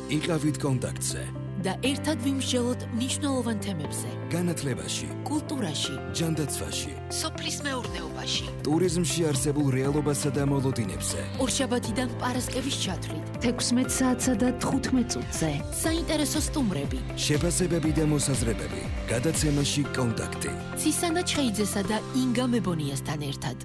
იყავით კონტაქტზე და ერთად ვიმსჯელოთ მნიშვნელოვან თემებზე. განათლებაში, კულტურაში, ჯანდაცვაში, სოფლის მეურნეობაში, ტურიზმში არსებულ რეალობასა და მოლოდინებზე. ორშაბათიდან პარასკევის ჩათვლით 16 საათსა და 15 წუთზე. საინტერესო სტუმრები, შეფასებები და მოსაზრებები. გადაცემაში კონტაქტი. ცისანა ჩხეიძესა და ინგა მებონიასთან ერთად.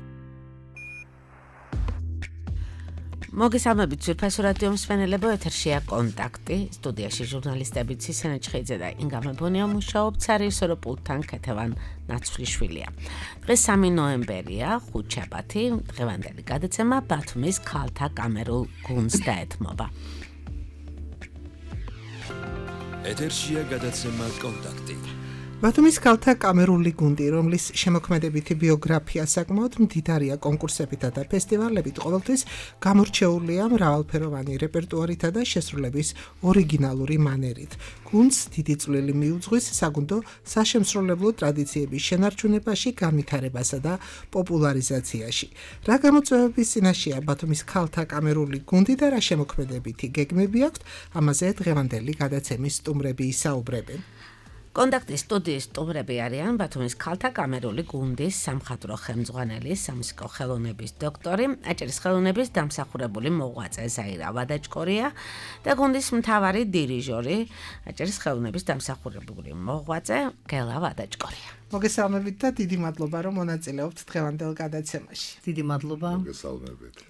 მოგესალმებით ძვირფასო რადიო მსმენელებო, ეთერშია კონტაქტი. სტუდიაში ჟურნალისტები ცისანა ჩხეიძე და ინგა მებონია მუშაობთ, სარიესო პულტთან ქეთევან ნაცვლიშვილია. დღეს 3 ნოემბერია, ხუთშაბათი, დღევანდელი გადაცემა ბათუმის ქალთა კამერულ გუნდს დაეთმობა. ეთერშია გადაცემა კონტაქტი. ბათუმის ქალთა კამერული გუნდი, რომლის შემოქმედებითი ბიოგრაფია საკმაოდ მდიდარია კონკურსებითა და ფესტივალებით, ყოველთვის გამორჩეულია მრავალფეროვანი რეპერტუარითა და შესრულების ორიგინალური მანერით. გუნდს დიდი წვლილი მიუძღვის საგუნდო საშემსრულებლო ტრადიციების შენარჩუნებაში, განვითარებასა და პოპულარიზაციაში. რა გამოწვევების წინაშეა ბათუმის ქალთა კამერული გუნდი და რა შემოქმედებითი გეგმები აქვთ, ამაზე დღევანდელი გადაცემის სტუმრები ისაუბრებენ. კონტაქტის სტუდიის სტუმრები არიან ბათუმის ქალთა კამერული გუნდის სამხატვრო ხელმძღვანელი, სამუსიკო ხელოვნების დოქტორი, აჭარის ხელოვნების დამსახურებული მოღვაწე ზაირა ვადაჭკორია და გუნდის მთავარი დირიჟორი, აჭარის ხელოვნების დამსახურებული მოღვაწე გელა ვადაჭკორია. მოგესალმებით და დიდი მადლობა, რომ მონაწილეობთ დღევანდელ გადაცემაში. დიდი მადლობა.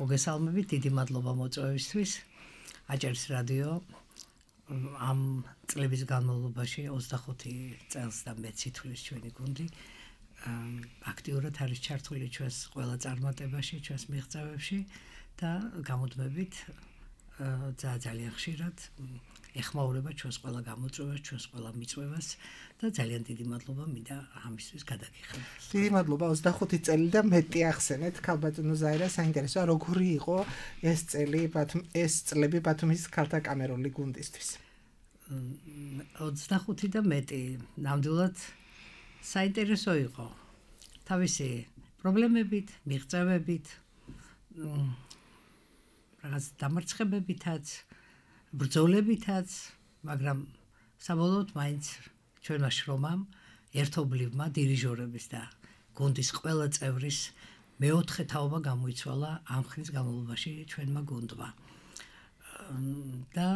მოგესალმებით, დიდი მადლობა მოწვევისთვის. აჭარის რადიო ამ წლების განმავლობაში 25 წელს და მეც ითვლის ჩვენი გუნდი აქტიურად არის ჩართული ჩვენს ყველა წარმატებაში, ჩვენს მიღწევებში და გამოდმებით ძალიან ხშირად ეხმაურება ჩვენს ყველა გამოწვევას, ჩვენს ყველა მიწვევას და ძალიან დიდი მადლობა მინდა ამისთვის გადაგიხადოთ. დიდი მადლობა. 25 წელი და მეტი ახსენეთ. ქალბატონო ზაირა, საინტერესოა, როგორი იყო ეს წლები ბათუმის ქალთა კამერული გუნდისთვის? 25 და მეტი ნამდვილად საინტერესო იყო. თავისი პრობლემებით, მიღწევებით, რაღაც დამარცხებებითაც, ბრძოლებითაც, მაგრამ საბოლოოდ მაინც ჩვენმა შრომამ, ერთობლივმა დირიჟორების და გუნდის ყველა წევრის მეოთხე თაობა გამოიცვალა ამ ხნის განმავლობაში ჩვენმა გუნდმა. და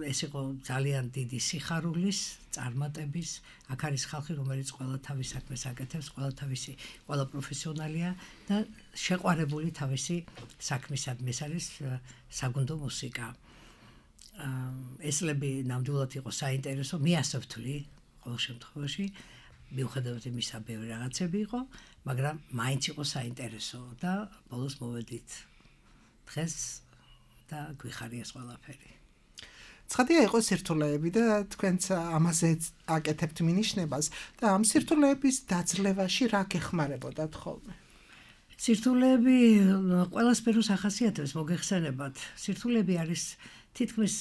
ეს იყო ძალიან დიდი სიხარულის, წარმატების, აქ არის ხალხი, რომელიც ყველა თავის საქმეს აკეთებს, ყველა პროფესიონალია და შეყვარებული თავისი საქმისადმი, ეს არის საგუნდო მუსიკა. ეს წლები ნამდვილად იყო საინტერესო, მე ასე ვთვლი, ყოველ შემთხვევაში, მიუხედავად იმისა, ბევრი რაღაცები იყო, მაგრამ მაინც იყო საინტერესო და ბოლოს მოვედით დღეს და გვიხარია ყველაფერი. ცხადია იყო სირთულეები და თქვენც ამაზე აკეთებთ მინიშნებას და ამ სირთულეების დაძლევაში რა გეხმარებოდათ ხოლმე? სირთულეები ყველა სფეროს ახასიათებს, მოგეხსენებათ. სირთულეები არის თითქმის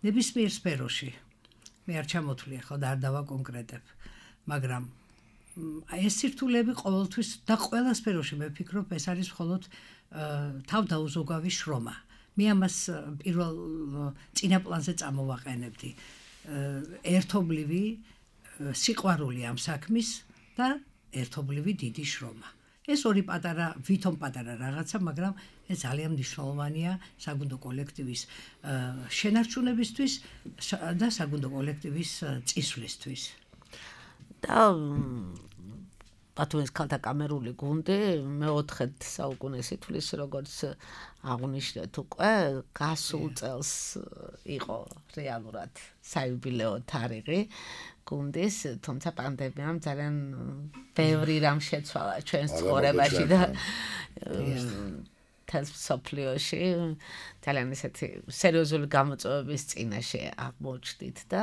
ნებისმიერ სფეროში. მე არ ჩამოთვლი ახლა და არ დავაკონკრეტებ, მაგრამ ეს სირთულეები ყოველთვის და ყველა სფეროში მე ვფიქრობ, ეს არის მხოლოდ თავდაუზოგავი შრომა. მე ამას პირველ წინაპლანზე წამოვაყენებდი. ერთობლივი სიყვარული ამ საქმის და ერთობლივი დიდი შრომა. ეს ორი ვითომ პატარა რაღაცა, მაგრამ ეს ძალიან მნიშვნელოვანია საგუნდო კოლექტივის შენარჩუნებისთვის და საგუნდო კოლექტივის წისვლისთვის. და ბათუმის ქალთა კამერული გუნდი მეოთხე საუკუნეს ითვლის, როგორც აღნიშნეთ უკვე, გასულ წელს იყო რეალურად საიუბილეო თარიღი გუნდის, თუმცა პანდემიამ ძალიან ბევრი რამ შეცვალა ჩვენს ცხოვრებაში და სოფლიოში ძალიან ესეთი სერიოზული გამოწვევების წინაშე აღმოჩნდით და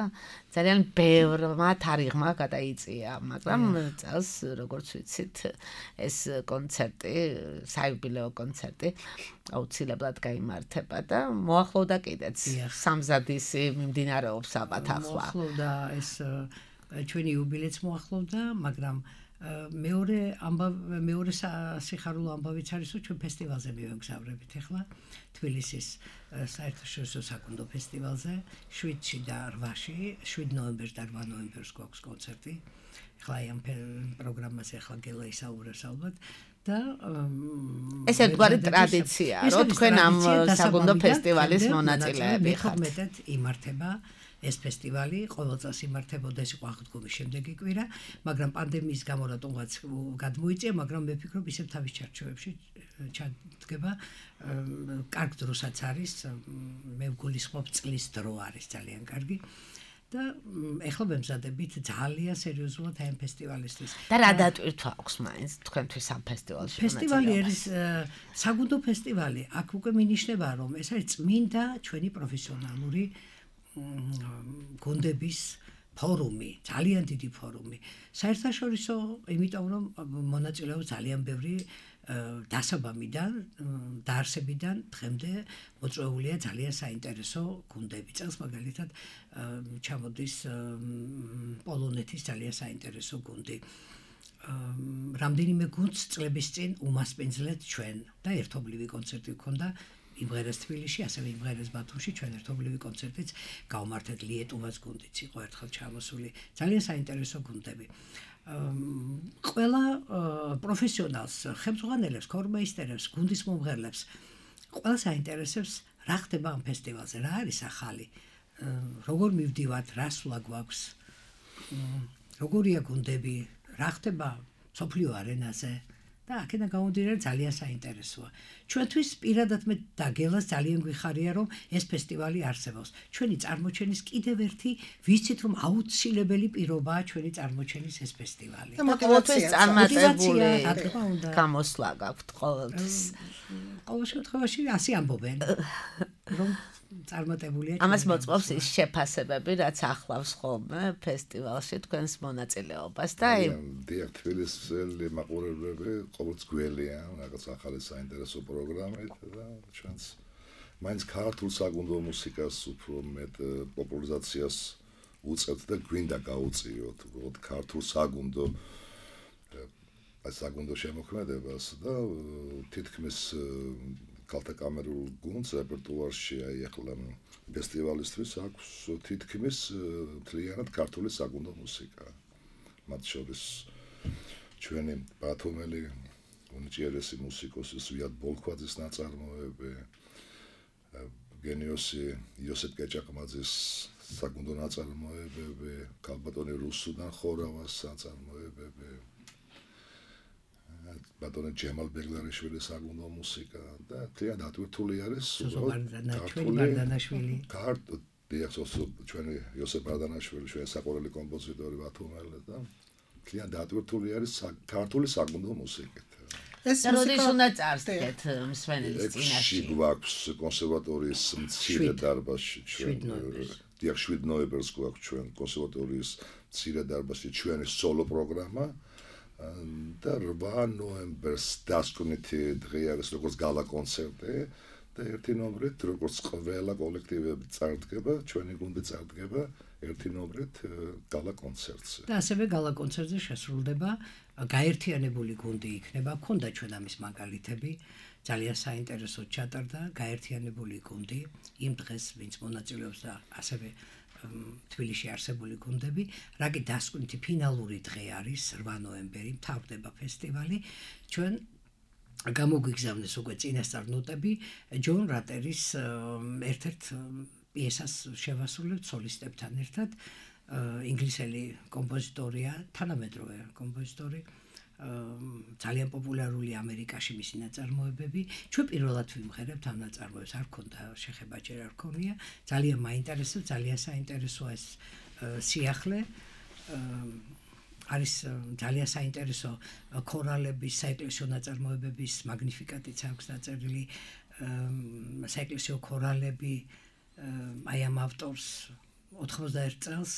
ძალიან ბევრმა თარიღმა გადაიწია, მაგრამ წელს, როგორც ვიცით, ეს კონცერტი, საიუბილეო კონცერტი აუცილებლად გაიმართება და მოახლოვდა კიდეც სამზადისი მიმდინარეობს ალბათ ახლა. მოახლოვდა ეს ჩვენი იუბილეც მოახლოვდა, მაგრამ მეორე სიხარულო ამბავიც არის, რომ ჩვენ ფესტივალზე მივეგზავრებით ახლა თბილისის საერთაშორისო საკონდო ფესტივალზე 7-ში და 8-ში, 7 ნოემბერს და 8 ნოემბერს გვაქვს კონცერტი. ახლა ამ პროგრამაზე ახლა გელა ისაუბრებს ალბათ და ეს ერთგვარი ტრადიციაა, რომ თქვენ ამ საკონდო ფესტივალის მონაწილეები ხართ. მეტად იმართება ეს ფესტივალი, ყოველ წელს იმართებოდა, ეს იყო აღდგომის შემდეგი კვირა, მაგრამ პანდემიის გამო რატომღაც გადმოიწია, მაგრამ მე ვფიქრობ, ისევ თავის ჩარჩოებში ჩადგება, კარგ დროსაც არის, მე ვგულისხმობ წლის დრო არის ძალიან კარგი. და ეხლა ვემზადებით ძალიან სერიოზულად ამ ფესტივალისთვის. და რა დატვირთვა აქვს მაინც თქვენთვის ამ ფესტივალში? ფესტივალი არის საგუნდო ფესტივალი. აქ უკვე მინიშნება, რომ ეს არის წმინდა ჩვენი პროფესიონალური გუნდების ფორუმი, ძალიან დიდი ფორუმი. საერთაშორისო, იმიტომ რომ მონაწილეობს ძალიან ბევრი დასაბამიდან, დაარსებიდან დღემდე მოწვეულია ძალიან საინტერესო გუნდები. წელს მაგალითად ჩამოდის პოლონეთის ძალიან საინტერესო გუნდი. რამდენიმე გუნდს წლების წინ უმასპინძლეთ ჩვენ და ერთობლივი კონცერტი გქონდა იმღერეს თბილისში, ასევე იმღერეს ბათუმში, ჩვენ ერთობლივი კონცერტიც გავმართეთ. ლიეტუვას გუნდიც იყო ერთხელ ჩამოსული. ძალიან საინტერესო გუნდები. ყველა პროფესიონალს, ხელმძღვანელებს, ქორმეისტერებს, გუნდის მომღერლებს ყველას აინტერესებს რა ხდება ამ ფესტივალზე, რა არის ახალი, როგორ მივდივართ, რა სვლა გვაქვს, როგორია გუნდები, რა ხდება მსოფლიო არენაზე და აქედან გამომდინარე ძალიან საინტერესოა. ჩვენთვის პირადად მე დაგელას ძალიან გვიხარია, რომ ეს ფესტივალი არსებობს. ჩვენი წარმოჩენის კიდევ ერთი ვიცით, რომ აუცილებელი პირობაა ჩვენი წარმოჩენის ეს ფესტივალი. და ყოველთვის წარმატებული გამოსვლა გაქვთ ყოველთვის. ყოველ შემთხვევაში ასე ამბობენ, რომ წარმატებულია. ამას მოწმობს ის შეფასებები, რაც ახლავს ხოლმე ფესტივალში თქვენს მონაწილეობას და დიახ, თბილისელი მაყურებლები ყოველთვის გველია, რაღაც ახალი საინტერესო პროგრამით და ჩვენს მაინც ქართულ საკუნდო მუსიკას უფრო მეტ პოპულარიზაციას უწევთ და გვინდა გაუწიოთ უბრალოდ ქართულ საკუნდო შემოქმედებას და თითქმის ქალთა კამერულ გუნდს რეპერტუარში აი ახლა ფესტივალისთვის აქვს თითქმის მთლიანად ქართული საკუნდო მუსიკა. მათ შორის ჩვენი ბათუმელი უნიჭიერესი მუსიკოსი ზვიად ბოლქვაძის ნაწარმოები, გენიოსი იოსებ კეჭაყმაძის საკუნდო ნაწარმოებები, ქალბატონი რუსუდან ხორავას ნაწარმოებები, ბატონი ჯემალ ბეგლარიშვილის საკუნდო მუსიკა და ძალიან დატვირთული არის ბარდანაშვილი. ჩვენი იოსებ ბარდანაშვილი, ჩვენი საყვარელი კომპოზიტორი ბათუმელი და ძალიან დატვირთული არის ქართული საკუნდო მუსიკით. ეს როდის უნდა წარსდგეთ მსვენელის წინაშე? გვაქვს კონსერვატორიის მცირე დარბაზში ჩვენ 7 ნოემბერს გვაქვს ჩვენ კონსერვატორიის მცირე დარბაზში ჩვენი სოლო პროგრამა და 8 ნოემბერს დასკვნითი დღე არის როგორც გალა კონცერტი და 1 ნოემბრით როგორც ყველა კოლექტივები წარდგება, ჩვენი გუნდი წარდგება 1 ნოემბრით გალა კონცერტზე. და ასევე გალა კონცერტზე შესრულდება გაერთიანებული გუნდი იქნება, ქონდა ჩვენ ამის მაგალითები, ძალიან საინტერესო ჩატარდა გაერთიანებული გუნდი იმ დღეს, ვინც მონაწილეობს და ასევე თბილისში არსებული გუნდები, რაგი დასკვნითი ფინალური დღე არის 8 ნოემბერი, მთავრდება ფესტივალი. ჩვენ გამოგვიგზავნეს უკვე წინასწარ ნოტები ჯონ რატერის ერთ-ერთ პიესას შევასრულებთ სოლისტებთან ერთად. ინგლისელი კომპოზიტორია, თანამედროვე კომპოზიტორი, ძალიან პოპულარული ამერიკაში მისი ნაწარმოებები. ჩვენ პირველად ვიმღერებთ ამ ნაწარმოებს, არ ქონდა შეხება ჯერ არ ქონია. ძალიან მაინტერესებს, ძალიან საინტერესოა ეს სიახლე. არის ძალიან საინტერესო ქორალების, საეკლესიო ნაწარმოებების მაგნიფიკატიც აქვს დაწერილი, საეკლესიო ქორალები აი ამ ავტორს 91 წელს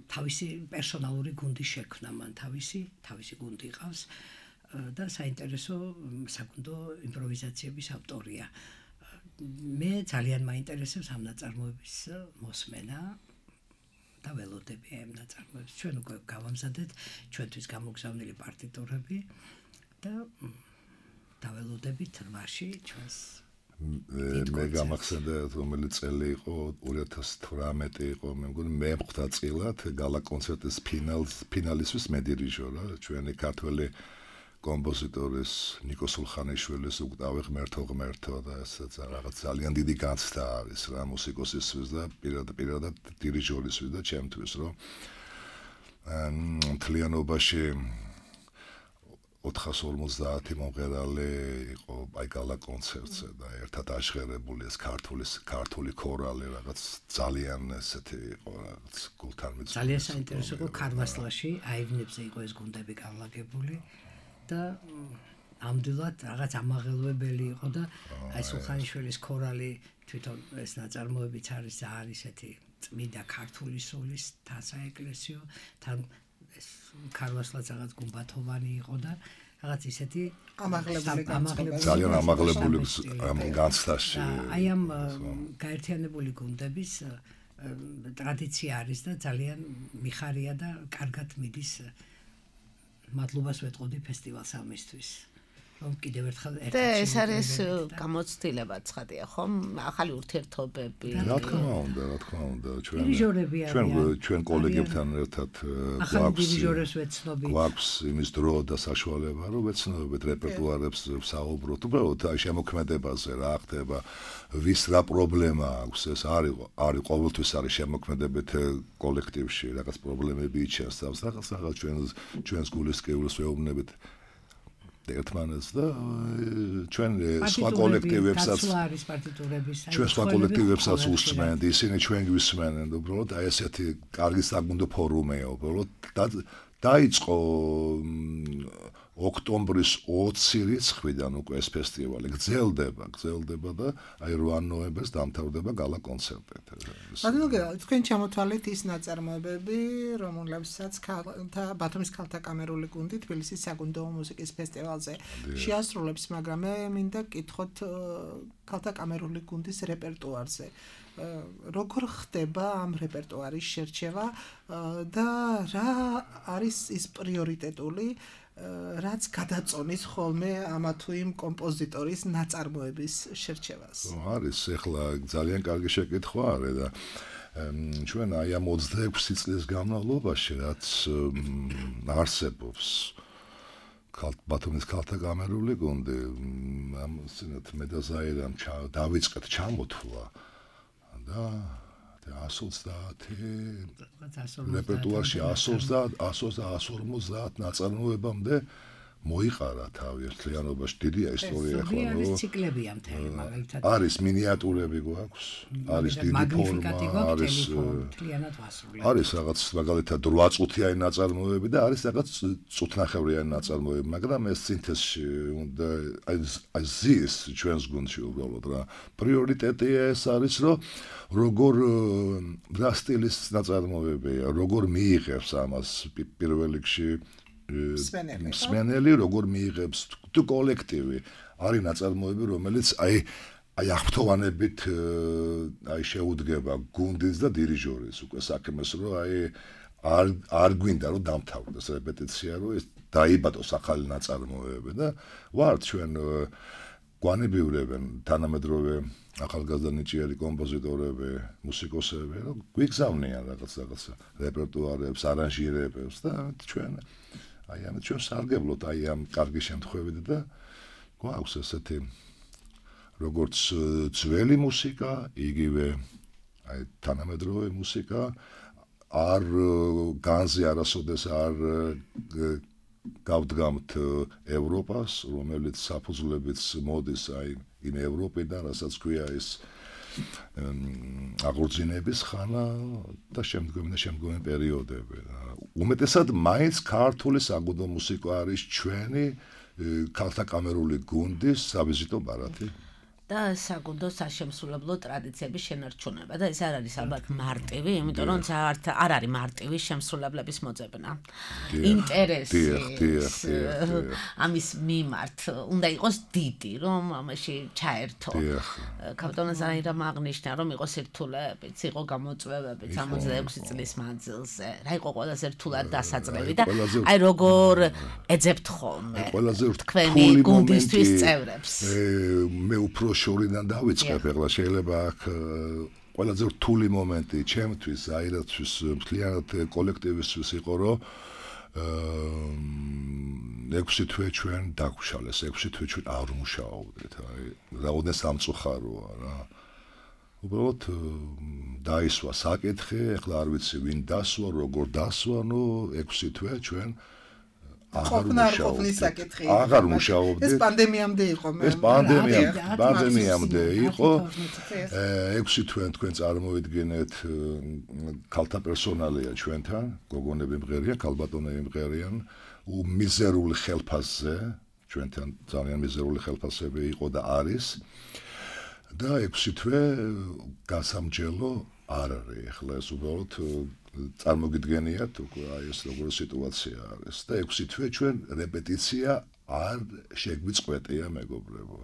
თავისი პერსონალური გუნდი შექმნა, მან თავისი გუნდი ყავს და საინტერესო საკუნდო იმპროვიზაციების ავტორია. მე ძალიან მაინტერესებს ამ ნაწარმოების მოსმენა და ველოდები ამ ნაწარმოებს. ჩვენ უკვე გავამზადეთ ჩვენთვის გამოგზავნილი პარტიტურები და დაველოდებით რვაში ჩვენს მე გამახსენდა რომელიც წელი იყო 2018 იყო მე მგონი მე-5 წილად გალა კონცერტის ფინალისთვის მე დირიჟორა ჩვენი ქართველი კომპოზიტორის ნიკო სულხანიშვილის უკტავი ღმერთო და ესეც რაღაც ძალიან დიდი განცდა არის რა მუსიკოსისთვის და პირადად დირიჟორისთვის და ჩემთვის რომ მთლიანობაში 450 მომღერალი იყო აი გალა კონცერტზე და ერთად აღშერებული ეს ქართული ქორალი რაღაც ძალიან ესეთი იყო რაღაც გულთან მიძღვნილი ძალიან საინტერესო იყო ქარვასლაში აივნებზე იყო ეს გუნდები განლაგებული და ამდვილად რაღაც ამაღელვებელი იყო და აი სულხანიშვილის ქორალი თვითონ ეს ნაწარმოებიც არის და არის ესეთი წმინდა ქართული სულის საეკლესიო თან ეს ქარვასლაც რაღაც გუმბათოვანი იყო და რაღაც ისეთი ამაღლებული ძალიან ამაღლებული განცდაში აი ამ გაერთიანებული გუნდების ტრადიცია არის და ძალიან მიხარია და კარგად მიდის მადლობას ვეტყოდი ფესტივალს ამისთვის რომ კიდევ ერთხელ და ეს არის გამოცდილება ცხადია ხომ ახალი ურთიერთობები რა თქმა უნდა ჩვენ კოლეგებთან ერთად გვაქვს იმის დრო და საშუალება რომ ვეცნობებით რეპერტუარებს საუბროთ უბრალოდ აი შემოქმედებაზე რა ხდება ვის რა პრობლემა აქვს ეს არის ყოველთვის არის შემოქმედებით კოლექტივში რაღაც პრობლემები იჩენს თავს რაღაც ჩვენს გულისკეულს ვეუბნებით ერთმანეთს და ჩვენ სხვა კოლექტივებსაც ჩვენ სხვა კოლექტივებსაც უსმენთ ისინი ჩვენ გვისმენენ უბრალოდ აი ესეთი კარგი საგუნდო ფორუმია უბრალოდ დაიწყო ოქტომბრის 20 რიცხვიდან უკვე ეს ფესტივალი გრძელდება და აი 8 ნოემბერს დამთავრდება გალა კონცერტით. ბატონო, თქვენ ჩამოთვალეთ ის ნაწარმოებები, რომელებსაც ბათუმის ქალთა კამერული გუნდი თბილისის საგუნდო მუსიკის ფესტივალზე შეასრულებს, მაგრამ მე მინდა გკითხოთ ქალთა კამერული გუნდის რეპერტუარზე. როგორ ხდება ამ რეპერტუარის შერჩევა და რა არის ის პრიორიტეტული რაც გადაწონის ხოლმე ამა თუ იმ კომპოზიტორის ნაწარმოების შერჩევას. არის ახლა ძალიან კარგი შეკითხვა არის და ჩვენ აი ამ 26 წლის განმავლობაში რაც არსებობს ბათუმის ქალთა კამერული გუნდი ამ სინათ მე და ზაირამ დავიწყეთ ჩამოთვლა და 130 რეპერტუარში 150 ნაწარმოებამდე მოიყარა თავი ერთლიანობაში დიდია ისტორია ახლა არის ციკლებია მთელი მაგალითად არის მინიატურები გვაქვს არის დიდი ფორმა არის რაღაც მაგალითად 8 წუთიანი ნაწარმოებები და არის რაღაც წუთნახევრიანი ნაწარმოებები მაგრამ ეს სინთეზში უნდა აი ზის ჩვენს გუნდში უბრალოდ რა პრიორიტეტია ეს არის რომ როგორ რა სტილის ნაწარმოებია როგორ მიიღებს ამას პირველ რიგში მსმენელი როგორ მიიღებს თუ კოლექტივი არის ნაწარმოები რომელიც აი აღფრთოვანებით აი შეუდგება გუნდის და დირიჟორის უკვე საქმეს რომ აი არ გვინდა რომ დამთავრდეს რეპეტიცია რომ ეს დაიბადოს ახალი ნაწარმოებები და ვართ ჩვენ გვანებიურებენ თანამედროვე ახალგაზრდა ნიჭიერი კომპოზიტორები, მუსიკოსები, რომ გვიგზავნიან რაღაც რეპერტუარებს, არანჟირებებს და ჩვენ აი ამ ჩვენ სარგებლობთ აი ამ კარგი შემთხვევით და გვაქვს ესეთი როგორც ძველი მუსიკა, იგივე აი თანამედროვე მუსიკა არ განზე არასოდეს არ გავდგამთ ევროპას, რომელიც საფუძვლებით მოდის აი იმ ევროპიდან, რასაც ქვია ის აღორძინების ხანა და შემდგომი პერიოდები. უმეტესად მაინც ქართული საგუნდო მუსიკა არის ჩვენი ქალთა კამერული გუნდის სავიზიტო ბარათი. და საგუნდო საშემსრულებლო ტრადიციების შენარჩუნება და ეს არ არის ალბათ მარტივი, იმიტომ რომ არ არის მარტივი შემსრულებლების მოძებნა. ინტერესი ამის მიმართ უნდა იყოს დიდი, რომ ამაში ჩაერთო. კაპიტან ზაირამ აღნიშნა, რომ იყო სირთულეებიც, იყო გამოწვევებიც 66 წლის მანძილზე. რა იყო ყველაზე რთულად დასაწყები და აი როგორ ეძებთ ხოლმე თქვენი გუნდისთვის წევრებს. მე უფრო შორიდან დავიწყებ, ახლა შეიძლება აქ ყველაზე რთული მომენტი ჩემთვის, აირათვის, მთლიანად კოლექტივისთვის იყო, რომ 6 თვე ჩვენ დაგვშალეს, 6 თვე ჩვენ არ მუშაობდით, აი, რაოდენ სამწუხაროა რა. უბრალოდ დაისვა საკითხი, ახლა არ ვიცი ვინ დასვა, როგორ დასვა, 6 თვე ჩვენ აღარ მუშაობდით. ეს პანდემიამდე იყო. ეს პანდემიამდე იყო. 6 თვე თქვენ წარმოვიდგინეთ, ქალთა პერსონალია ჩვენთან, გოგონები მღერიან, ქალბატონები მღერიან, მიზერული ხელფასზე, ჩვენთან ძალიან მიზერული ხელფასები იყო და არის. და 6 თვე გასამჯელო არ არის. ახლა ეს უბრალოდ წარმოგიდგენიათ უკვე აი ეს როგორი სიტუაცია არის და 6 თვე ჩვენ რეპეტიცია არ შეგვიწყვეტია მეგობრებო.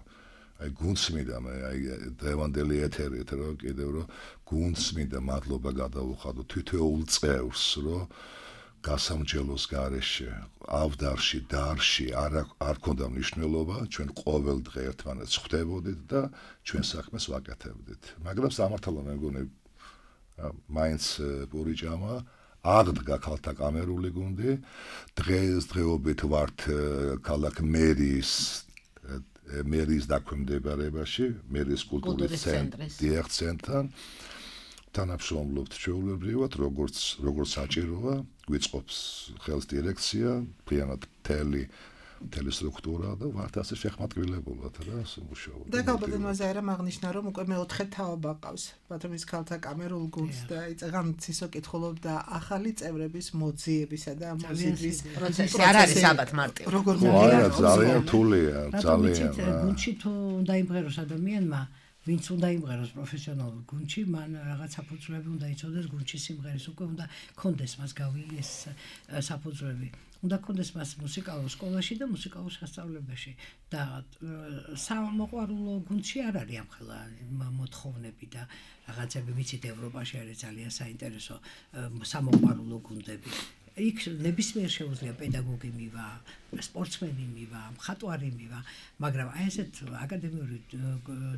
აი გუნდს მინდა მე აი დღევანდელი ეთერით რომ კიდევ რომ გუნდს მინდა მადლობა გადავუხადო თითოეულ წევრს რომ გასამჯელოს გარეშე ავდარში დარში არ ქონდა მნიშვნელობა ჩვენ ყოველ დღე ერთმანეთს ხვდებოდით და ჩვენ საქმეს ვაკეთებდით. მაგრამ სამართალო მე მგონი მაინც პური ჭამა აღდგა ქალთა კამერული გუნდი დღეობით ვართ ქალაქ მერის დაქვემდებარებაში მერის კულტურის ცენტრთან თანამშრომლობთ ჩვეულებრივად როგორც საჭიროა გვიწყობს ხელს დირექცია მთლიანად მთელი სტრუქტურა და ვართ ასე შეხმატკივრებულად რა მუშაობთ. და კაპიტან ზაირამ აღნიშნა რომ უკვე მეოთხე თაობა ყავს ბათუმის ქალთა კამერულ გუნდს და იწეგან ცისო კითხულობდა ახალი წევრების მოძიებისა და მოზიდვის პროცესი არ არის ალბათ მარტივი. როგორ ძალიან რთულია ძალიან. გუნდში თუ უნდა იმღეროს ადამიანმა ვინც უნდა იმღეროს პროფესიონალურ გუნდში, მან რაღაც საფუძვლები უნდა იცოდეს გუნდში სიმღერის, უკვე უნდა კონდეს მას გავიეს საფუძვლები. უნდა კონდეს მას მუსიკალურ სკოლაში და მუსიკალურ სასწავლებელში და სამოყვარულო გუნდში არ არის ამხელა მოთხოვნები და რაღაცები ვიცით ევროპაში არის ძალიან საინტერესო სამოყვარულო გუნდები. იქ ნებისმიერ შეუძლია პედაგოგი მივა, სპორტსმენი მივა, მხატვარი მივა, მაგრამ აი ესეთ აკადემიური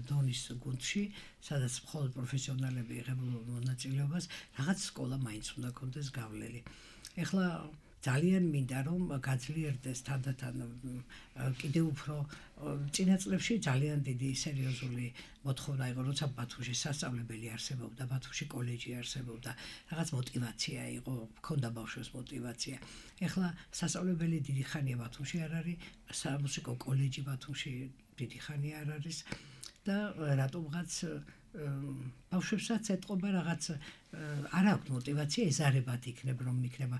დონის გუნდში, სადაც მხოლოდ პროფესიონალები იღებენ მონაწილეობას, რაღაც სკოლა მაინც უნდა კონდეს გავლილი. ეხლა ძალიან მინდა რომ გაძლიერდეს თანდათან კიდევ უფრო წინა წლებში ძალიან დიდი სერიოზული მოთხოვნა იყო როცა ბათუმში სასწავლებელი არსებობდა ბათუმში კოლეჯი არსებობდა რაღაც мотиваცია იყო მქონდა ბავშვებს мотиваცია ეხლა სასწავლებელი დიდი ხანია ბათუმში არ არის სამუსიკო კოლეჯი ბათუმში დიდი ხანია არ არის და რატომღაც ბავშვებსაც ეთყობა რაღაც არ აქვს мотиваცია ეზარებათ იქნებ რომ იქნება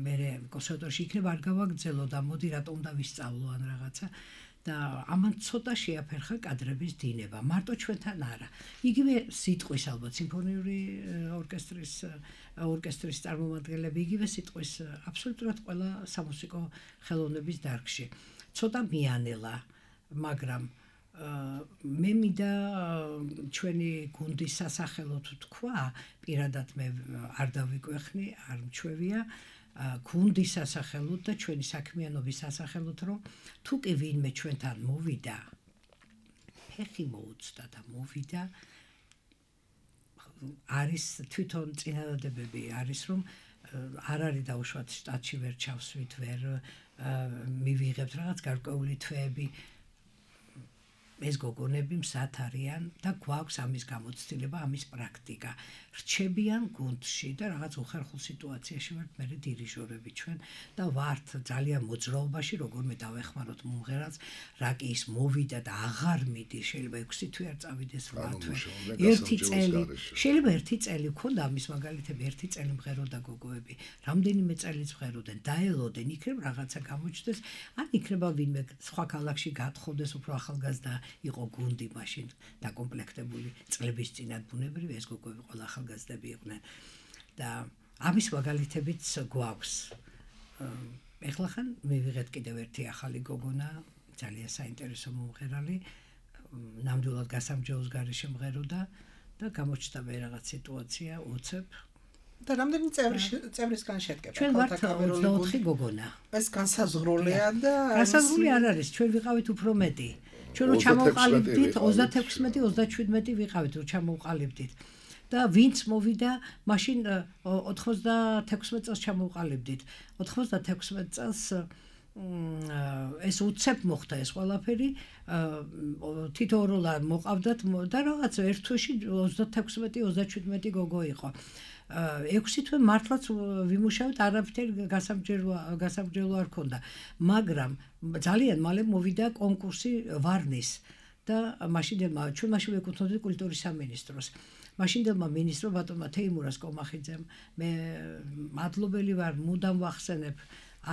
მე კონსერვატორში იქნება არ გავაგრძელო და მოდი რატომ უნდა ვისწავლო ან რაღაცა და ამან ცოტა შეაფერხა კადრების დინება მარტო ჩვენთან არა იგივე სიტყვის ალბათ სიმფონიური ორკესტრის წარმომადგენლები იგივე სიტყვის აბსოლუტურად ყველა სამუსიკო ხელოვნების დარგში ცოტა მიანელა მაგრამ მე მინდა ჩვენი გუნდის სასახელოდ თქვა პირადად მე არ დავიკვეხნი არ მჩვევია გუნდის სასახელოდ და ჩვენი საქმიანობის სასახელოდ რომ თუ კი ვინმე ჩვენთან მოვიდა ფეხი მოუწდა და მოვიდა არის თვითონ წინადადებები არის რომ არ არის დაუშვათ შტატში ვერ ჩავსვით ვერ მივიღებთ რაღაც გარკვეული თვეები ეს გოგონები მსად არიან და გვაქვს ამის გამოცდილება, ამის პრაქტიკა. რჩებიან გუნდში და რაღაც უხერხულ სიტუაციაში ვართ მე დირიჟორები ჩვენ და ვართ ძალიან მოძრაობაში, როგორმე დავეხმაროთ მომღერალს, რა კი ის მოვიდა და აღარ მიდის, შეიძლება 6 თვე არ წავიდეს 8 თვე. ერთი წელი, შეიძლება ერთი წელი გქონდა ამის მაგალითები, ერთი წელი მღეროდა გოგოები, რამდენიმე წელიც მღეროდნენ, დაელოდნენ, იქნებ რაღაცა გამოჩნდეს, ან იქნება ვინმე სხვა ქალაქში გათხოვდეს უფრო ახალგაზრდა იყო გუნდი მაშინ დაკომპლექტებული წლების წინათ ბუნებრივი ეს გოგოები ყველა ახალგაზრდები იყვნენ და ამის მაგალითებიც გვაქვს. ეხლა ხან მივიღეთ კიდევ ერთი ახალი გოგონა, ძალიან საინტერესო მომღერალი, ნამდვილად გასამჯეოს გარეშე მღეროდა და გამოჩნდა მე რაღაც სიტუაცია უცებ და რამდენი წევრისგან შედგება ჩვენ ვართ 24 გოგონა. ეს განსაზღვრულია და განსაზღვრული არ არის, ჩვენ ვიყავით უფრო მეტი. ჩვენ რო ჩამოვყალიბდით 36-37 ვიყავით რო ჩამოვყალიბდით. და ვინც მოვიდა მაშინ 96 წელს ჩამოვყალიბდით. 96 წელს ეს უცებ მოხდა ეს ყველაფერი, თითოეულა მოყავდათ და რაღაც ერთ თვეში 36-37 გოგო იყო. 6 თვე მართლაც ვიმუშავეთ, არაფერი გასამჯელო არ ქონდა, მაგრამ ძალიან მალე მოვიდა კონკურსი ვარნის და მაშინდელმა ჩვენ მაშინ ვეკუთვნოდით კულტურის სამინისტროს. მაშინდელმა მინისტრმა ბატონმა თეიმურას კომახიძემ მე მადლობელი ვარ, მუდამ ვახსენებ,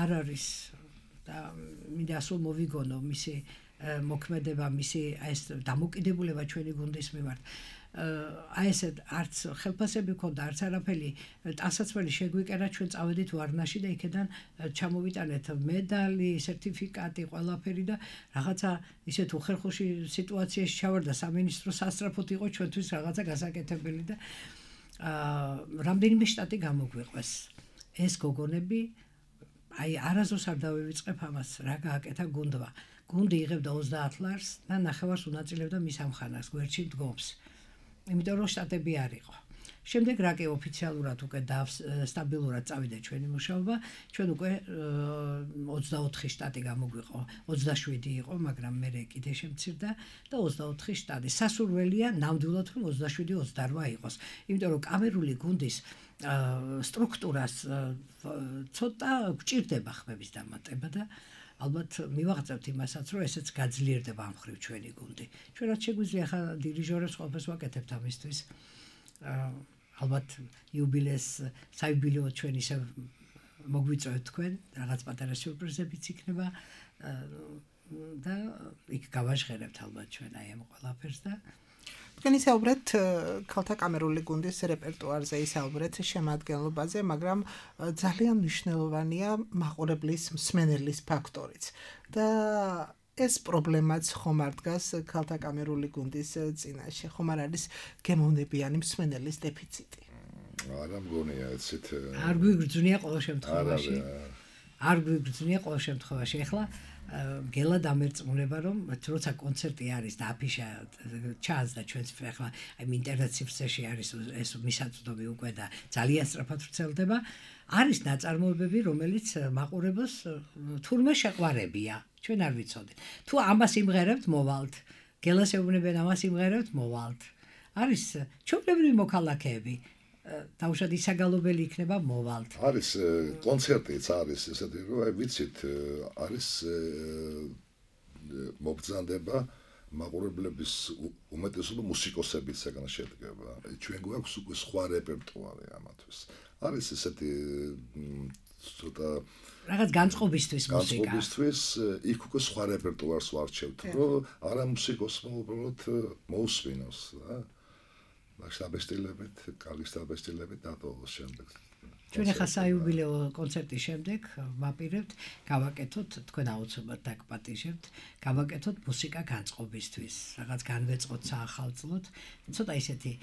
არ არის და მინდა სულ მოვიგონო მისი მოქმედება, მისი ეს დამოკიდებულება ჩვენი გუნდის მიმართ. აი ესე არც ხელფასები ქონდა, არც არაფერი, ტანსაცმელი შეგვიკერა, ჩვენ წავედით ვარნაში და იქედან ჩამოვიტანეთ მედალი, სერტიფიკატი, ყველაფერი და რაღაცა ისეთ უხერხუში სიტუაციაში ჩავარდა სამინისტრო სასწრაფოდ იყო ჩვენთვის რაღაცა გასაკეთებელი და რამდენიმე შტატი გამოგვიყვეს. ეს გოგონები აი არასდროს არ დავივიწყებ ამას, რა გააკეთა გუნდმა. გუნდი იღებდა 30 ლარს და ნახევარს უნაწილებდა მის ამხანას, გვერდში დგომს. იმიტომ რომ შტატები არ იყო. შემდეგ რა კი ოფიციალურად უკვე სტაბილურად წავიდა ჩვენი მუშაობა, ჩვენ უკვე 24 შტატი გამოგვიყო, 27 იყო, მაგრამ მე კიდე შემცირდა და 24 შტატი. სასურველია ნამდვილად რომ 27-28 იყოს. იმიტომ რომ კამერული გუნდის სტრუქტურას ცოტა გჭირდება ხმების დამატება და ალბათ მივაღწევთ იმასაც, რომ ესეც გაძლიერდება ამ ხრივ ჩვენი გუნდი. ჩვენ რაც შეგვიძლია ხა დირიჟორებს ყველაფერს ვაკეთებთ ამისთვის. ალბათ იუბილეს საიუბილეო ჩვენ ისე მოგვიწევთ თქვენ, რაღაც პატარა სიურპრიზებიც იქნება და იქ გავაჟღერებთ ალბათ ჩვენ აი ამ ყველაფერს და თქვენ ისაუბრეთ ქალთა კამერული გუნდის რეპერტუარზე, ისაუბრეთ შემადგენლობაზე, მაგრამ ძალიან მნიშვნელოვანია მაყურებლის მსმენელის ფაქტორიც. და ეს პრობლემაც ხომ არ დგას ქალთა კამერული გუნდის წინაშე, ხომ არ არის გემოვნებიანი მსმენელის დეფიციტი. არა მგონია ეცით. არ გვიგრძნია ყოველ შემთხვევაში. არ გვიგრძნია ყოველ შემთხვევაში. ეხლა გელა დამერწმუნება რომ როცა კონცერტი არის და აფიშა ჩანს და ჩვენს ახლა აი ინტერნეტ ციფრში არის ეს მისაწვდომი უკვე და ძალიან სწრაფად ვრცელდება, არის ნაწარმოებები რომელიც მაყურებელს თურმე შეყვარებია, ჩვენ არ ვიცოდით. თუ ამას იმღერებთ მოვალთ, გელას ეუბნებიან ამას იმღერებთ მოვალთ. არის ჩვეულებრივი მოქალაქეები დაუშვათ ისაგალობელი იქნება მოვალთ. არის კონცერტიც არის ესეთი რომ აი ვიცით არის მობრძანდება მაყურებლების უმეტესობა მუსიკოსებით საგან შედგება. ჩვენ გვაქვს უკვე სხვა რეპერტუარი ამათვის. არის ესეთი ცოტა რაღაც განწყობისთვის მუსიკა. განწყობისთვის იქ უკვე სხვა რეპერტუარს ვარჩევთ, რომ არა მუსიკოსმა უბრალოდ მოусვინოს, რა. შტაბესტილებით, კარგი შტაბესტილებით დატოვოს შემდეგ. ჩვენ ახლა საიუბილეო კონცერტის შემდეგ ვაპირებთ, გავაკეთოთ, თქვენ აუცილებლად დაგპატიჟებთ, გავაკეთოთ მუსიკა განწყობისთვის, რაღაც განვეწყოთ საახალწლოდ, ცოტა ისეთი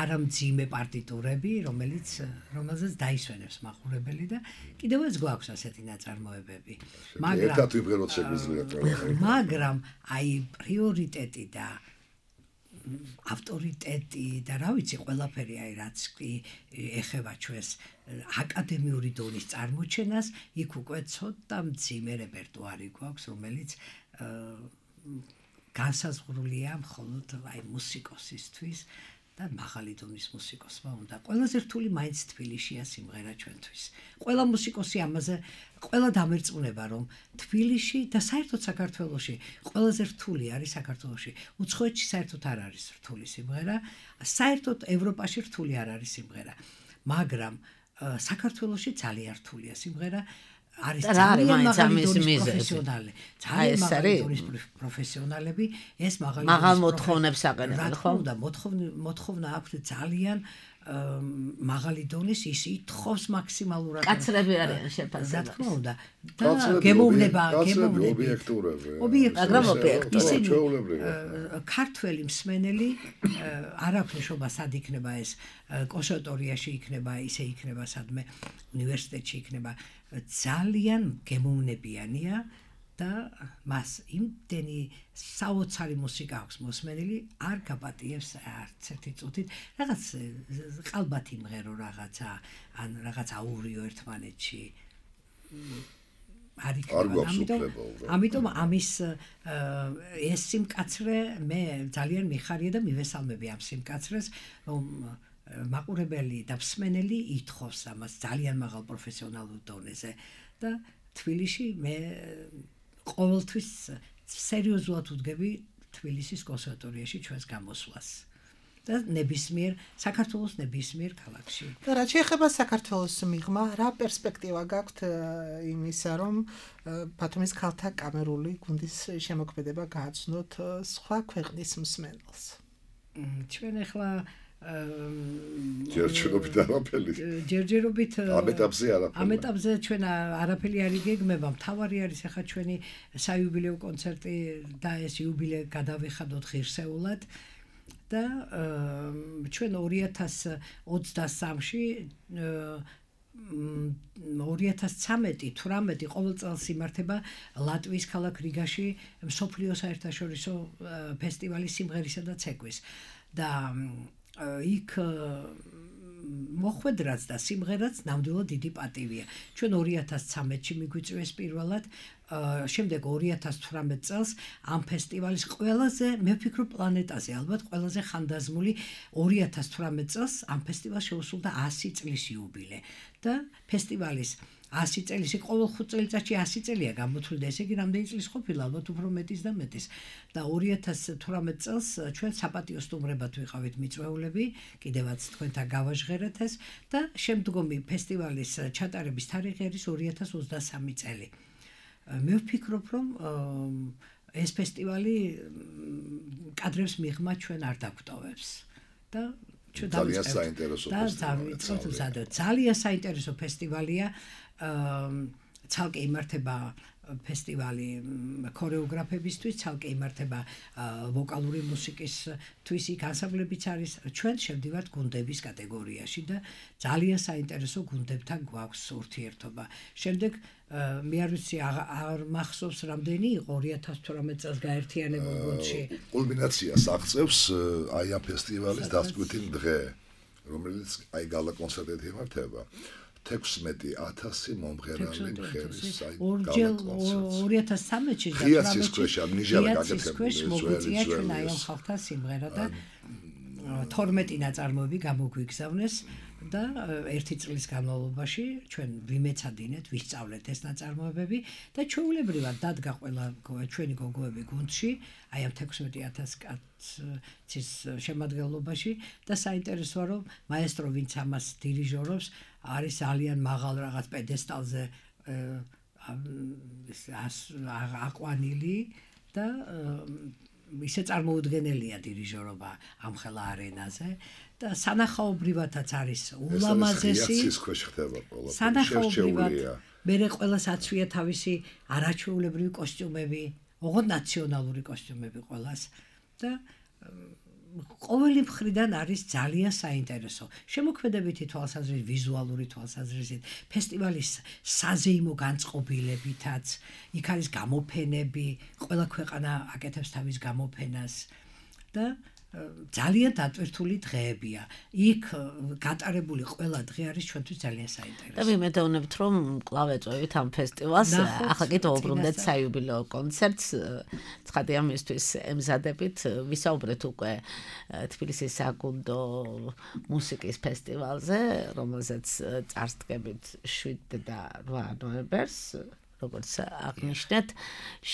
არამძიმე პარტიტურები, რომელზეც დაისვენებს მაყურებელი და კიდევაც გვაქვს ასეთი ნაწარმოებები. მაგრამ აი პრიორიტეტი და ავტორიტეტი და რა ვიცი ყველაფერი აი რაც კი ეხება ჩვენს აკადემიური დონის წარმოჩენას, იქ უკვე ცოტა მძიმე რეპერტუარი გვაქვს, რომელიც განსაზღვრულია მხოლოდ აი მუსიკოსისთვის და მაღალი დონის მუსიკოსმა უნდა. ყველაზე რთული მაინც თბილისშია სიმღერა ჩვენთვის. ყველა მუსიკოსი ამაზე ყველა დამერწმუნება რომ თბილისში და საერთოდ საქართველოში ყველაზე რთული არის საქართველოში. უცხოეთში საერთოდ არ არის რთული სიმღერა, საერთოდ ევროპაში რთული არ არის სიმღერა. მაგრამ საქართველოში ძალიან რთულია სიმღერა. არის და რა არის ძალიან მაინც მაღალი ამის დონის მიზეზი? პროფესიონალი. ეს ძალიან მაღალი არის? დონის პროფესიონალები, ეს მაღალი მაღალ დონის მოთხოვნებს აყენებენ, რა ხო? თქმა უნდა, მოთხოვნა აქვთ ძალიან მაღალი დონის, ის ითხოვს მაქსიმალურად. კაცრები არიან რა შეფასებაში. თქმა უნდა. და გემოვნება, ობიექტურები. მაგრამ ობიექტური. ისინი ჩვეულებრივი. ქართველი მსმენელი არ აქვს ნიშნობა სად იქნება ეს კონსერვატორიაში იქნება, ისე იქნება სადმე უნივერსიტეტში იქნება. ძალიან გემოვნებიანია და მას იმდენი საოცარი მუსიკა აქვს მოსმენილი, არ გაპატიებს არც ერთი წუთით, რაღაც ყალბათი მღერო რაღაცა, ან რაღაც აურიო ერთმანეთში. არ იქნება. ამიტომ ამის ეს სიმკაცრე მე ძალიან მიხარია და მივესალმები ამ სიმკაცრეს, რომ მაყურებელი და მსმენელი ითხოვს ამას ძალიან მაღალ პროფესიონალურ დონეზე და თბილისში მე ყოველთვის სერიოზულად ვდგები თბილისის კონსერვატორიაში ჩვენს გამოსვლას და ნებისმიერ საქართველოს ნებისმიერ ქალაქში. და რა შეეხება საქართველოს მიღმა, რა პერსპექტივა გაქვთ იმისა, რომ ბათუმის ქალთა კამერული გუნდის შემოქმედება გააცნოთ სხვა ქვეყნის მსმენელს? ჩვენ ახლა ჯერჯერობით არაფერი. ჯერჯერობით ამ ეტაპზე ჩვენ არაფერი არ იგეგმება. მთავარი არის ახლა ჩვენი საიუბილეო კონცერტი და ეს იუბილე გადავიხადოთ ღირსეულად და ჩვენ 2023-ში 2013-18 ყოველ წელს იმართება ლატვიის ქალაქ რიგაში მსოფლიო საერთაშორისო ფესტივალი სიმღერისა და ცეკვის და იქ მოხვედრაც და სიმღერაც ნამდვილად დიდი პატივია. ჩვენ 2013-ში მიგვიწვიეს პირველად, შემდეგ 2018 წელს ამ ფესტივალის ყველაზე, მე ვფიქრობ პლანეტაზე, ალბათ ყველაზე ხანდაზმული 2018 წელს ამ ფესტივალს შეუსრულდა 100 წლის იუბილე და ფესტივალის 100 წელისი ყოველ 5 წელიწადში 100 წელია გამოთვლილი და ესე იგი რამდენი წლის ყოფილა, ალბათ უფრო მეტის და მეტის. და 2018 წელს ჩვენ საპატიო სტუმრებად ვიყავით მიწვეულები, კიდევაც თქვენთან გავაჟღერეთ ეს და შემდგომი ფესტივალის ჩატარების თარიღი არის 2023 წელი. მე ვფიქრობ, რომ ეს ფესტივალი კადრებს მიღმა ჩვენ არ დაგვტოვებს და ძალიან საინტერესო ფესტივალია. ძალიან საინტერესო ფესტივალია. ცალკე იმართება ფესტივალი ქორეოგრაფებისთვის, ცალკე იმართება ვოკალური მუსიკისთვის, იქ ანსამბლებიც არის. ჩვენ შევდივართ გუნდების კატეგორიაში და ძალიან საინტერესო გუნდებთან გვაქვს ურთიერთობა. შემდეგ მე არ ვიცი არ მახსოვს რამდენი იყო 2018 წელს გაერთიანებულ გუნდში. კულმინაციას აღწევს აი ამ ფესტივალის დასკვითი დღე, რომელიც აი გალა კონცერტით იმართება. 16,000 მომღერალი მხერის აი 2013-ში და 18-ში მოგვიწია ჩვენ აი ამ ხალხთა სიმღერა და 12 ნაწარმოები გამოგვიგზავნეს და ერთი წლის განმავლობაში ჩვენ ვიმეცადინეთ, ვისწავლეთ ეს ნაწარმოებები და ჩვეულებრივად დადგა ყველა ჩვენი გოგოები გუნდში, აი ამ 16,000 კაცის შემადგენლობაში და საინტერესოა რომ მაესტრო ვინც ამას დირიჟორობს არის ძალიან მაღალ რაღაც პედესტალზე აყვანილი და ისე წარმოუდგენელია დირიჟორობა ამ ხელა არენაზე და სანახაობრივადაც არის ულამაზესი სანახაობრივად მერე ყველას აცვია თავისი არაჩვეულებრივი კოსტიუმები, ოღონდ ნაციონალური კოსტიუმები ყველას და ყოველი მხრიდან არის ძალიან საინტერესო. შემოქმედებითი თვალსაზრისით, ვიზუალური თვალსაზრისით, ფესტივალის საზეიმო განწყობილებითაც, იქ არის გამოფენები, ყველა ქვეყანა აკეთებს თავის გამოფენას და ძალიან დატვირთული დღეებია. იქ გატარებული ყველა დღე არის ჩვენთვის ძალიან საინტერესო. და ვიმედოვნებთ, რომ კვლავ ეწვევით ამ ფესტივალს. ახლა კიდევ უბრუნდეთ საიუბილეო კონცერტს. ცხადია ამისთვის ემზადებით. ვისაუბრეთ უკვე თბილისის საგუნდო მუსიკის ფესტივალზე, რომელზეც წარსდგებით 7 და 8 ნოემბერს. როგორც აღნიშნეთ.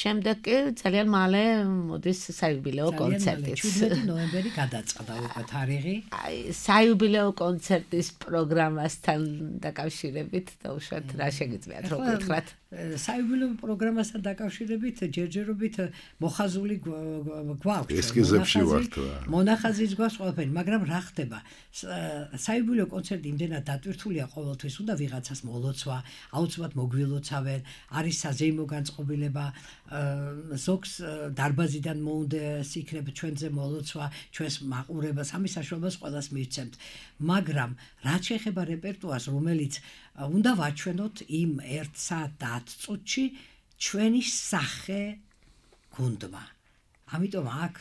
შემდეგ კი ძალიან მალე მოდის საიუბილეო კონცერტიც. 17 ნოემბერი გადაწყდა უკვე თარიღი. აი, საიუბილეო კონცერტის პროგრამასთან დაკავშირებით დაუშვათ რა შეგიძლიათ რომ გითხრათ? საიუბილეო პროგრამასთან დაკავშირებით ჯერჯერობით მოხაზული გვაქვს. ესკიზებში ვართ. მონახაზის გვაქვს ყველაფერი, მაგრამ რა ხდება? საიუბილეო კონცერტი იმდენად დატვირთულია ყოველთვის, უნდა ვიღაცას მოლოცვა, აუცილებლად მოგვილოცავენ, არის საზეიმო განწყობილება, ზოგს დარბაზიდან მოუნდეს იქნება ჩვენზე მოლოცვა, ჩვენს მაყურებას, ამის საშუალებას ყველას მივცემთ. მაგრამ რაც შეეხება რეპერტუარს, რომელიც უნდა ვაჩვენოთ იმ 1 საათ და 10 წუთში ჩვენი სახე გუნდმა. ამიტომ აქ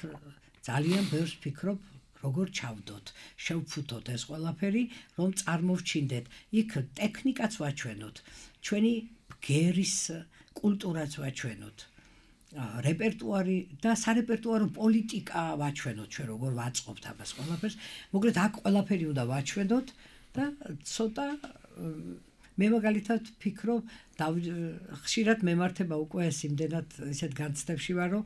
ძალიან ბევრს ვფიქრობ, როგორ ჩავდოთ, შევფუთოთ ეს ყველაფერი, რომ წარმოვჩინდეთ. იქ ტექნიკაც ვაჩვენოთ, ჩვენი ბგერის კულტურაც ვაჩვენოთ. რეპერტუარი და სარეპერტუარო პოლიტიკა ვაჩვენოთ, ჩვენ როგორ ვაწყობთ ამას ყველაფერს. მოკლედ აქ ყველაფერი უნდა ვაჩვენოთ და ცოტა მე მაგალითად ვფიქრობ, ხშირად მემართება უკვე ეს იმდენად ისეთ განცდებში ვარ, რომ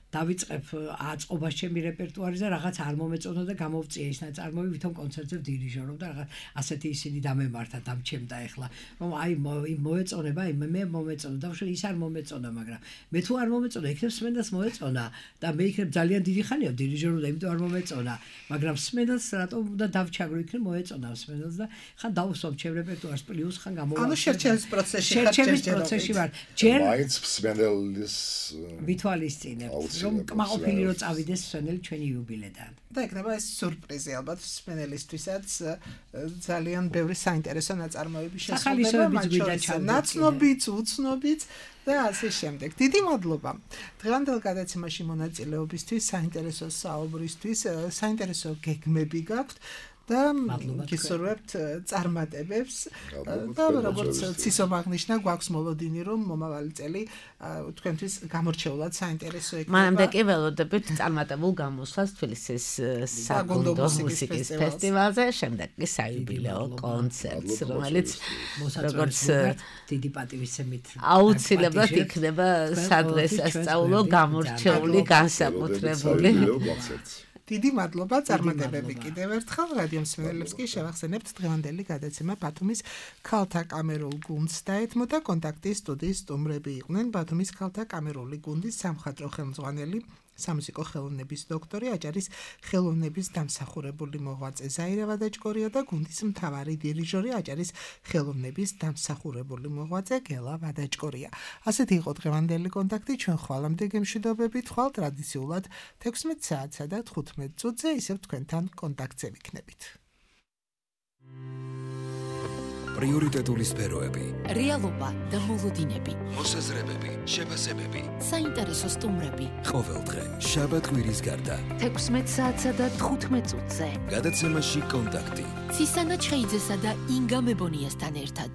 დავიწყებ აწყობას ჩემი რეპერტუარზე, რაღაც არ მომეწონა და გამოვწია ის ნაწარმოები, ვითომ კონცერტზე ვდირიჟორობ და რაღაც ასეთი ისინი დამემართა, დამჩემდა ეხლა, რომ აი მოეწონება, მე მომეწონა, დავშვი ის არ მომეწონა, მაგრამ მე თუ არ მომეწონა, იქნებ სმენდას მოეწონა და მე იქნებ ძალიან დიდი ხანია ვდირიჟორობ და იმიტომ არ მომეწონა, მაგრამ სმენდას რატომ უნდა დავჩაგრო, იქნებ მოეწონა სმენდას და ხან დავუსვამ ჩემ რეპერტუარს პლუს ხან გამოვა. ანუ შერჩევის პროცესში ვარ. ჯერ მაინც სმენდელის ვითვალისწინებთ, რომ კმაყოფილი რომ წავიდეს სვენელი ჩვენი იუბილედან. და იქნება ეს სიურპრიზი ალბათ სვენელისთვისაც ძალიან ბევრი საინტერესო ნაწარმოები შესაძლოა, ნაცნობიც, უცნობიც და ასე შემდეგ. დიდი მადლობა. დღევანდელ გადაცემაში მონაწილეობისთვის, საინტერესო საუბრისთვის, საინტერესო გეგმები გაქვთ. და გისურვებთ წარმატებებს და როგორც ცისომ აღნიშნა, გვაქვს მოლოდინი, რომ მომავალი წელი თქვენთვის გამორჩეულად საინტერესო იქნება. მანამდე კი ველოდებით წარმატებულ გამოსვლას თბილისის საგუნდო მუსიკის ფესტივალზე, შემდეგ კი საიუბილეო კონცერტს, რომელიც როგორც დიდი პატივისცემით აუცილებლად იქნება სადღესასწაულო გამორჩეული განსაკუთრებული. დიდი მადლობა, წარმატებები კიდევ ერთხელ რადიო მსმენელებს კი შევახსენებთ დღევანდელი გადაცემა ბათუმის ქალთა კამერულ გუნდს დაეთმოდა კონტაქტის სტუდიის სტუმრები იყვნენ ბათუმის ქალთა კამერული გუნდის სამხატვრო ხელმძღვანელი სამუსიკო ხელოვნების დოქტორი, აჭარის ხელოვნების დამსახურებული მოღვაწე ზაირა ვადაჭკორია და გუნდის მთავარი დირიჟორი, აჭარის ხელოვნების დამსახურებული მოღვაწე გელა ვადაჭკორია. ასეთი იყო დღევანდელი კონტაქტი, ჩვენ ხვალამდე გემშვიდობებით, ხვალ ტრადიციულად 16 საათსა და 15 წუთზე ისევ თქვენთან კონტაქტზე ვიქნებით. პრიორიტეტული სფეროები, რეალობა და მოლოდინები, მოსაზრებები, შეფასებები, საინტერესო სტუმრები. ყოველდღე შაბათ-კვირის გარდა 16 საათსა და 15 წუთზე. გადაცემაში კონტაქტი. ცისანა ჩხეიძესა და ინგა მებონიასთან ერთად.